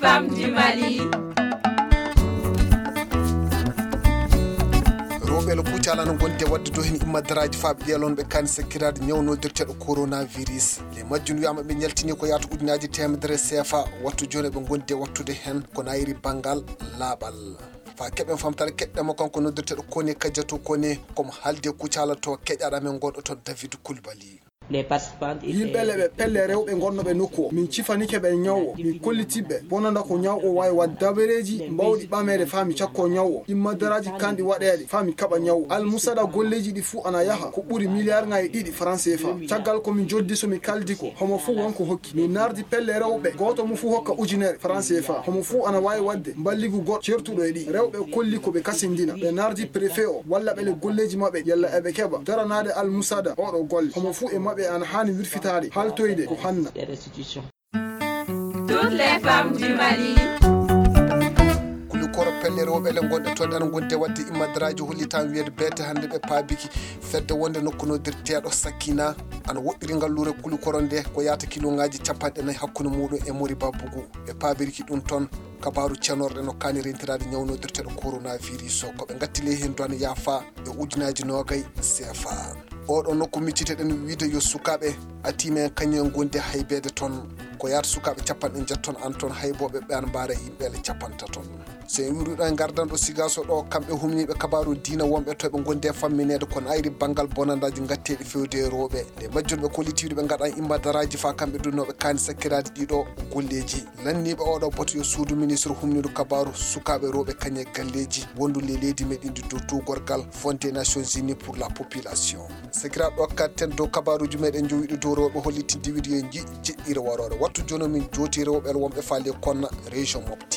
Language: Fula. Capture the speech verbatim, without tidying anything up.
Femmes du Mali. Rewɓe le kucala no gonde wadde do hen immadaraaji faaɓe ƴeelonɓe kan sekkiraade ñawnodirteeɗo coronavirus. Le majjum wiyama ɓe ñaltini ko yaata ujunaaji temedere sefa. Wattu jooni ɓe gonde wattude hen ko nayri banngal laaɓal. Fa keɓen famtare keɗɗemo kanko noddirteeɗo kone kajjato kone komo halde kucala to keƴaɗa men gonɗo toon David Kulbali. Yimɓe le ɓe pelle rewɓe gonnoɓe nokku o min cifanike ɓe ñaw o min kollitiɓe bonanda ko ñaw o wawi wadde dabareeji mbawɗi ɓameede faa mi cakko ñaw o immadaraaji kanɗi waɗeede faa mi kaɓa ñaw o almusada golleeji ɗi fuu ana yaha ko ɓuri miliyarŋaaji ɗiɗi franc cfa caggal ko mi joddi so mi kaldi ko homo fuu won ko hokki min nardi pelle rewɓe gooto mo fuu hokka ujunere franc cfa homo fuu ana wawi wadde mballigu goɗɗo certuɗo e ɗi rewɓe kolli ko ɓe kasindina ɓe nardi préfet o walla ɓe le golleeji maɓɓe yalla eɓe keɓa daranaade almusada oɗo golle homo fuu e maɓɓe ana haani wirfitaade haltoyde ko hanna. Toutes les femmes du Mali. Kulikoro pelle rewɓe le gonɗe toon ana gonde wadde immadaraaji hollitan wiyede beete hannde ɓe paabiki fedde wonde nokkunodirteeɗo sakkina ana woɗɗiri ngalluure kulikoro nde ko yaata kiloŋaaji capanɗe nayi hakkunde muɗum e mori babbugu ɓe paabirki ɗum toon. Kabaaru cenorɗe no kaani rentiraade ñawnodirteeɗo coronavirus o ko ɓe ngatti ley heen duwane yaafa e ujunaaji noogay cfa. Oɗo nokku micciteɗen wiide yo sukaaɓe atima en kañum en gondi haybeede toon ko yaata sukaaɓe capanɗe njeeto toon an toon haybooɓe ɓe an mbaara yimɓe le capantato toon. So en wiruɗo e ngardanɗo sigaso ɗo kamɓe humniiɓe kabaaru diina wonɓe to ɓe gondi e fammineede kono ayri banngal bonandaaji ngatteeɗi fewde e rewɓe nde majjunɓe kollitiiɗo ɓe ngaɗan immadaraaji faa kamɓe dunnooɓe kaani sakkiraaji ɗiɗo golleeji. Lanniiɓe oɗo boto yo suudu ministre humniiɗo kabaaru sukaaɓe rewɓe kañe galleeji wondu le leydi meɗen ndi dow tuugorgal fonde nations unies pour la population. Sakiraaɓe ɗo kattan dow kabaaruuji meɗen jowiɗo dow rewɓe hollitinde wiɗo yo jiɗɗire waroore wattu jono min jooti rewɓe wonɓe faale konna région mobɓe.